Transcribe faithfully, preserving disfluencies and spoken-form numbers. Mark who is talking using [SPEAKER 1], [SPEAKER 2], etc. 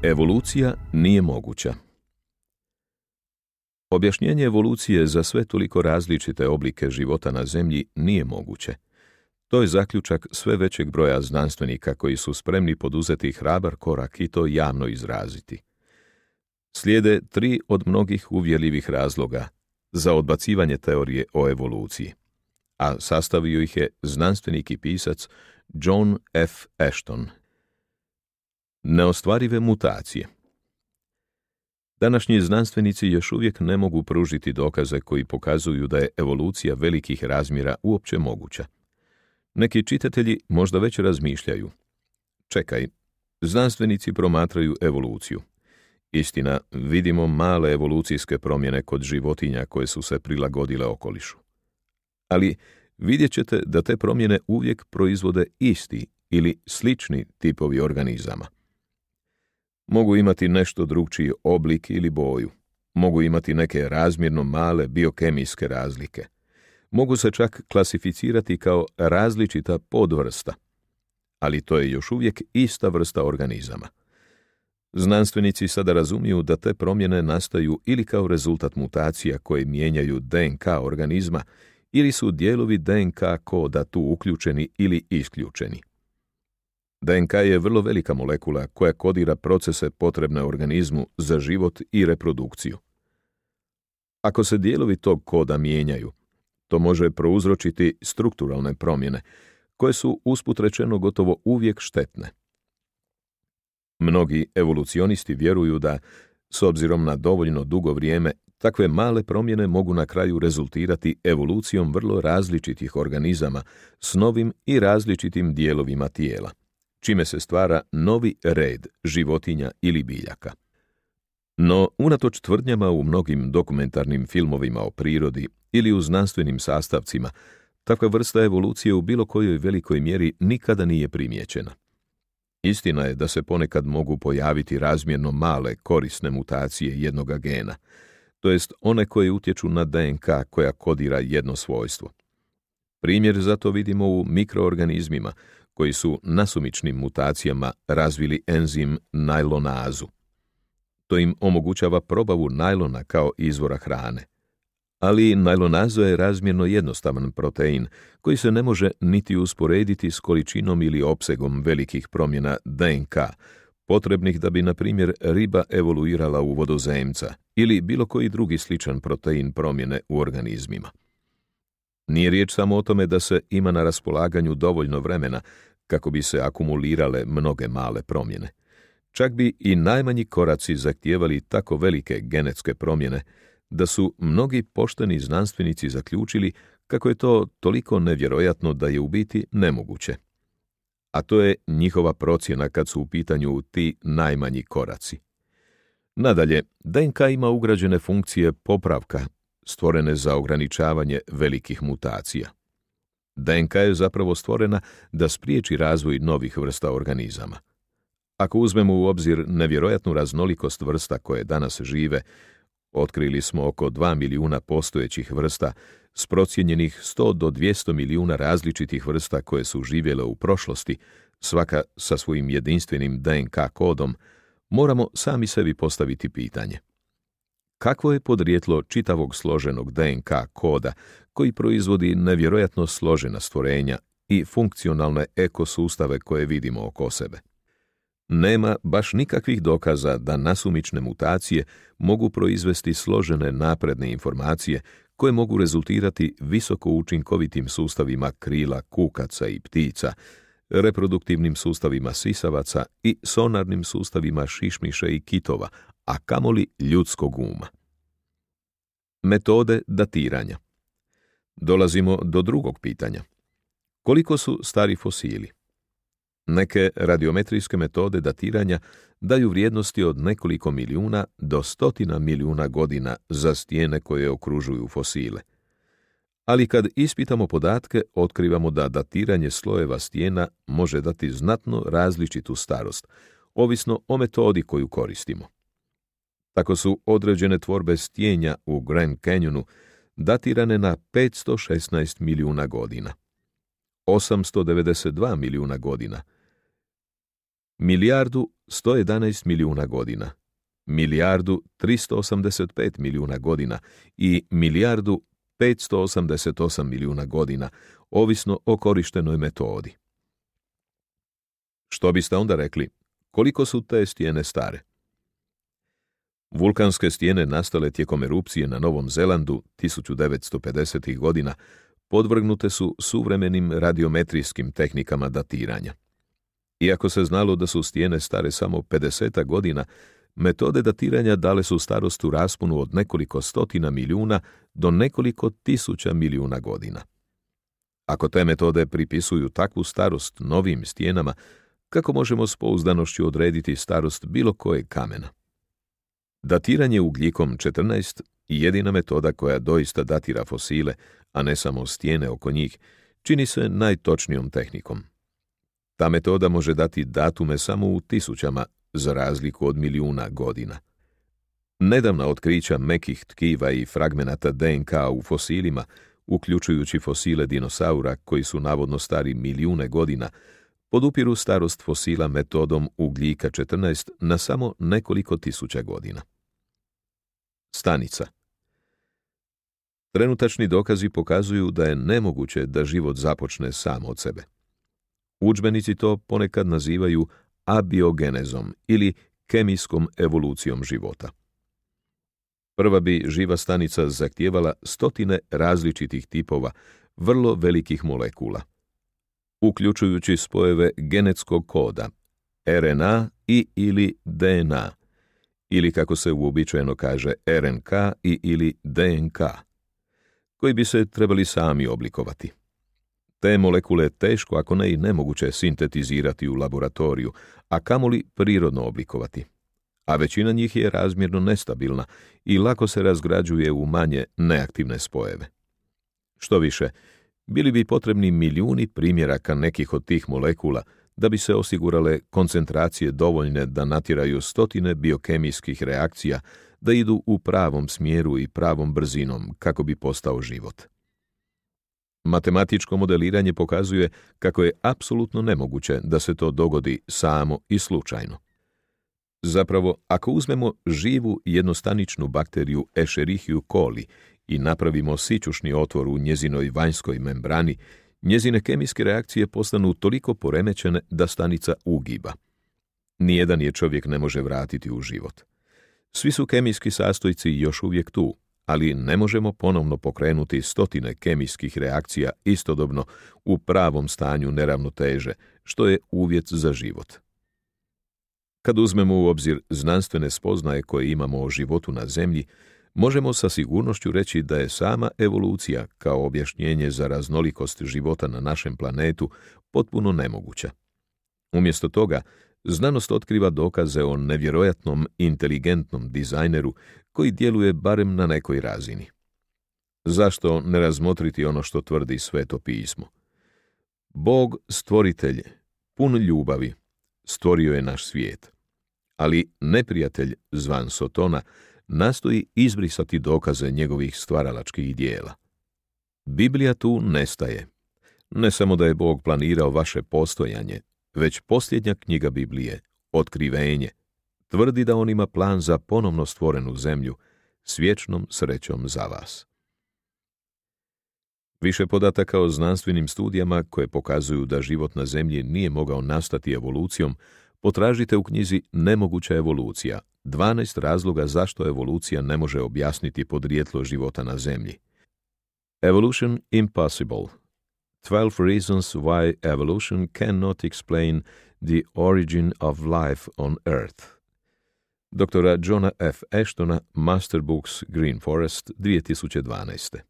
[SPEAKER 1] Evolucija nije moguća. Objašnjenje evolucije za sve toliko različite oblike života na Zemlji nije moguće. To je zaključak sve većeg broja znanstvenika koji su spremni poduzeti hrabar korak i to javno izraziti. Slijede tri od mnogih uvjerljivih razloga za odbacivanje teorije o evoluciji, a sastavio ih je znanstvenik i pisac John F. Ashton. Neostvarive mutacije. Današnji znanstvenici još uvijek ne mogu pružiti dokaze koji pokazuju da je evolucija velikih razmjera uopće moguća. Neki čitatelji možda već razmišljaju: čekaj, znanstvenici promatraju evoluciju. Istina, vidimo male evolucijske promjene kod životinja koje su se prilagodile okolišu. Ali vidjet ćete da te promjene uvijek proizvode isti ili slični tipovi organizama. Mogu imati nešto drukčiji oblik ili boju. Mogu imati neke razmjerno male biokemijske razlike. Mogu se čak klasificirati kao različita podvrsta. Ali to je još uvijek ista vrsta organizama. Znanstvenici sada razumiju da te promjene nastaju ili kao rezultat mutacija koje mijenjaju D N K organizma, ili su dijelovi D N K koda tu uključeni ili isključeni. D N K je vrlo velika molekula koja kodira procese potrebne organizmu za život i reprodukciju. Ako se dijelovi tog koda mijenjaju, to može prouzročiti strukturalne promjene, koje su usput rečeno gotovo uvijek štetne. Mnogi evolucionisti vjeruju da, s obzirom na dovoljno dugo vrijeme, takve male promjene mogu na kraju rezultirati evolucijom vrlo različitih organizama s novim i različitim dijelovima tijela, čime se stvara novi red životinja ili biljaka. No, unatoč tvrdnjama u mnogim dokumentarnim filmovima o prirodi ili u znanstvenim sastavcima, takva vrsta evolucije u bilo kojoj velikoj mjeri nikada nije primijećena. Istina je da se ponekad mogu pojaviti razmjerno male korisne mutacije jednoga gena, to jest one koje utječu na D N K koja kodira jedno svojstvo. Primjer za to vidimo u mikroorganizmima koji su nasumičnim mutacijama razvili enzim najlonazu. To im omogućava probavu najlona kao izvora hrane. Ali najlonaza je razmjerno jednostavan protein koji se ne može niti usporediti s količinom ili opsegom velikih promjena D N K, potrebnih da bi, na primjer, riba evoluirala u vodozemca ili bilo koji drugi sličan protein promjene u organizmima. Nije riječ samo o tome da se ima na raspolaganju dovoljno vremena kako bi se akumulirale mnoge male promjene. Čak bi i najmanji koraci zahtijevali tako velike genetske promjene da su mnogi pošteni znanstvenici zaključili kako je to toliko nevjerojatno da je u biti nemoguće. A to je njihova procjena kad su u pitanju ti najmanji koraci. Nadalje, D N K ima ugrađene funkcije popravka, stvorene za ograničavanje velikih mutacija. D N K je zapravo stvorena da spriječi razvoj novih vrsta organizama. Ako uzmemo u obzir nevjerojatnu raznolikost vrsta koje danas žive, otkrili smo oko dva milijuna postojećih vrsta s procijenjenih sto do dvjesto milijuna različitih vrsta koje su živjele u prošlosti, svaka sa svojim jedinstvenim D N K kodom, moramo sami sebi postaviti pitanje: kakvo je podrijetlo čitavog složenog D N K koda koji proizvodi nevjerojatno složena stvorenja i funkcionalne ekosustave koje vidimo oko sebe? Nema baš nikakvih dokaza da nasumične mutacije mogu proizvesti složene napredne informacije koje mogu rezultirati visoko učinkovitim sustavima krila kukaca i ptica, reproduktivnim sustavima sisavaca i sonarnim sustavima šišmiša i kitova, a kamoli ljudskog uma. Metode datiranja. Dolazimo do drugog pitanja. Koliko su stari fosili? Neke radiometrijske metode datiranja daju vrijednosti od nekoliko milijuna do stotina milijuna godina za stijene koje okružuju fosile. Ali kad ispitamo podatke, otkrivamo da datiranje slojeva stijena može dati znatno različitu starost, ovisno o metodi koju koristimo. Tako su određene tvorbe stijenja u Grand Canyonu datirane na petsto šesnaest milijuna godina, osamsto devedeset dva milijuna godina, milijardu sto jedanaest milijuna godina, milijardu tristo osamdeset pet milijuna godina i milijardu petsto osamdeset osam milijuna godina, ovisno o korištenoj metodi. Što biste onda rekli? Koliko su te stijene stare? Vulkanske stijene nastale tijekom erupcije na Novom Zelandu tisuću devetsto pedesetih godina podvrgnute su suvremenim radiometrijskim tehnikama datiranja. Iako se znalo da su stijene stare samo pedeset godina, metode datiranja dale su starost u rasponu od nekoliko stotina milijuna do nekoliko tisuća milijuna godina. Ako te metode pripisuju takvu starost novim stijenama, kako možemo s pouzdanošću odrediti starost bilo kojeg kamena? Datiranje ugljikom četrnaest, jedina metoda koja doista datira fosile, a ne samo stijene oko njih, čini se najtočnijom tehnikom. Ta metoda može dati datume samo u tisućama, za razliku od milijuna godina. Nedavna otkrića mekih tkiva i fragmenata D N K u fosilima, uključujući fosile dinosaura koji su navodno stari milijune godina, podupiru starost fosila metodom ugljika četrnaest na samo nekoliko tisuća godina. Stanica. Trenutačni dokazi pokazuju da je nemoguće da život započne sam od sebe. Udžbenici to ponekad nazivaju abiogenezom ili kemijskom evolucijom života. Prva bi živa stanica zahtijevala stotine različitih tipova vrlo velikih molekula, uključujući spojeve genetskog koda, R N A i ili D N A, ili kako se uobičajeno kaže R N K i ili D N K, koji bi se trebali sami oblikovati. Te molekule teško, ako ne i nemoguće, sintetizirati u laboratoriju, a kamoli prirodno oblikovati. A većina njih je razmjerno nestabilna i lako se razgrađuje u manje neaktivne spojeve. Što više, bili bi potrebni milijuni primjeraka nekih od tih molekula da bi se osigurale koncentracije dovoljne da natjeraju stotine biokemijskih reakcija da idu u pravom smjeru i pravom brzinom kako bi postao život. Matematičko modeliranje pokazuje kako je apsolutno nemoguće da se to dogodi samo i slučajno. Zapravo, ako uzmemo živu jednostaničnu bakteriju Escherichia coli i napravimo sićušni otvor u njezinoj vanjskoj membrani, njezine kemijske reakcije postanu toliko poremećene da stanica ugiba. Nijedan je čovjek ne može vratiti u život. Svi su kemijski sastojci još uvijek tu, ali ne možemo ponovno pokrenuti stotine kemijskih reakcija istodobno u pravom stanju neravnoteže, što je uvjet za život. Kad uzmemo u obzir znanstvene spoznaje koje imamo o životu na Zemlji, možemo sa sigurnošću reći da je sama evolucija kao objašnjenje za raznolikost života na našem planetu potpuno nemoguća. Umjesto toga, znanost otkriva dokaze o nevjerojatnom inteligentnom dizajneru koji djeluje barem na nekoj razini. Zašto ne razmotriti ono što tvrdi Sveto pismo? Bog, stvoritelj, pun ljubavi, stvorio je naš svijet, ali neprijatelj zvan Sotona nastoji izbrisati dokaze njegovih stvaralačkih dijela. Biblija tu nestaje. Ne samo da je Bog planirao vaše postojanje, već posljednja knjiga Biblije, Otkrivenje, tvrdi da on ima plan za ponovno stvorenu zemlju s vječnom srećom za vas. Više podataka o znanstvenim studijama koje pokazuju da život na Zemlji nije mogao nastati evolucijom potražite u knjizi Nemoguća evolucija, dvanaest razloga zašto evolucija ne može objasniti podrijetlo života na Zemlji. Evolution Impossible. twelve reasons why evolution cannot explain the origin of life on Earth. Doktora Johna F. Ashtona, Master Books, Green Forest, dvije tisuće dvanaeste.